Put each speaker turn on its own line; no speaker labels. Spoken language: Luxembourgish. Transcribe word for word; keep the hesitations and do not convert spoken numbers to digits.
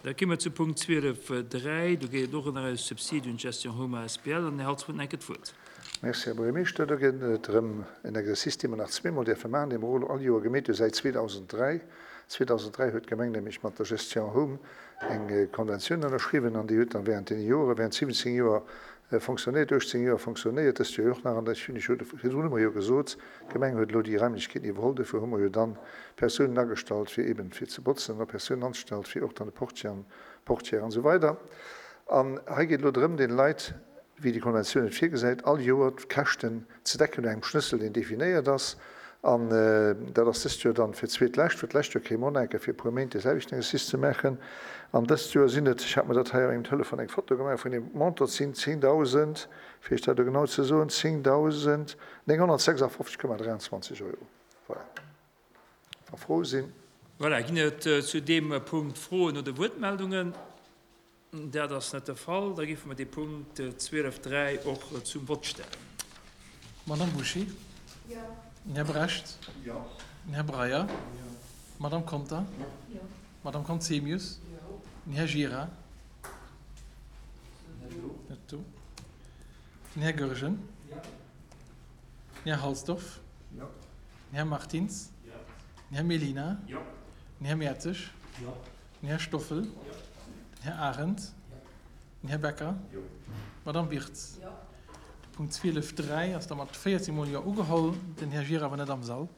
Da komme mer zu Punkt zwielef dräi. Do geet et och ëm eis Subside un d'Gestion Home asbl. An den Här Holtz huet enke d'Wuert.
Merci, Här Buergermeeschter. Do geet et erëm en Exercice, dee mer nach zweemol däerfe maachen, dee mer och all Joer gemeet hu säit zweedausenddräi. Zweedausenddräi huet d'Gemeng nämlech mat der Gestion Home eng Konventioun ënnerschriwwen an déi huet dann während deene Jore, während siwwenzéng Joer fonctionnéiert, uechtzéng Joer fonctionnéiert, dëst Joer och nach. An ech hunn ech jo virdrun hu mer jo gesot, d'Gemeng huet elo déi Raimlechkeeten iwwerholl. Dofir hu mer jo dann Persounen agestallt, fir eeben fir ze botzen, an och Persounen angestallt, fir och dann de Portier an d'Portière an esou weider. An hei geet elo drëm, deene Leit, wéi déi Konventioun et virgesäit, all Joer d'Käschten ze decken no engem Schlëssel, deen definéiert ass. An dat ass dëst Joer dann fir d'zweetlescht, well d'lescht Joer kréie mer och nach eng Kéier fir e puer Méint dee selwechten Exercice ze maachen. An dëst Joer sinn et, ech hat mer dat hei op mengem Telefon eng Foto gemaach vun deem Montant, et sinn zéngdausend, fir Iech dat elo genau ze soen, zéngdausend nénghonnertsechsafofzeg Komma dräianzwanzeg Euro. Voilà. Wa Froe sinn.
Voilà, ginn et zu deem Punkt Froen oder Wuertmeldungen? Dat ass net de Fall. Da géife mer dee Punkt zwielef dräi och zum Vott stellen.
Madame Bouchy?
Jo.
Den Här Brecht?
Jo.
Den Här Breyer?
Jo.
Madame Conter?
Jo.
Madame Conzemius?
Jo.
Den Här Gira? Net do. Den Här Goergen?
Jo.
Den Här Halsdorf?
Jo.
Den Här Martins?
Jo.
Den Här Mellina?
Jo.
Den Här Mertzig?
Jo.
Den Här Stoffel?
Jo.
Den Här Arendt?
Jo.
Den Här Becker?
Jo.
Madame Wirtz?
Jo.
De Punkt zwielef dräi ass da mat véierzéng Mol Jo ugeholl. Den Här Gira war net am Sall.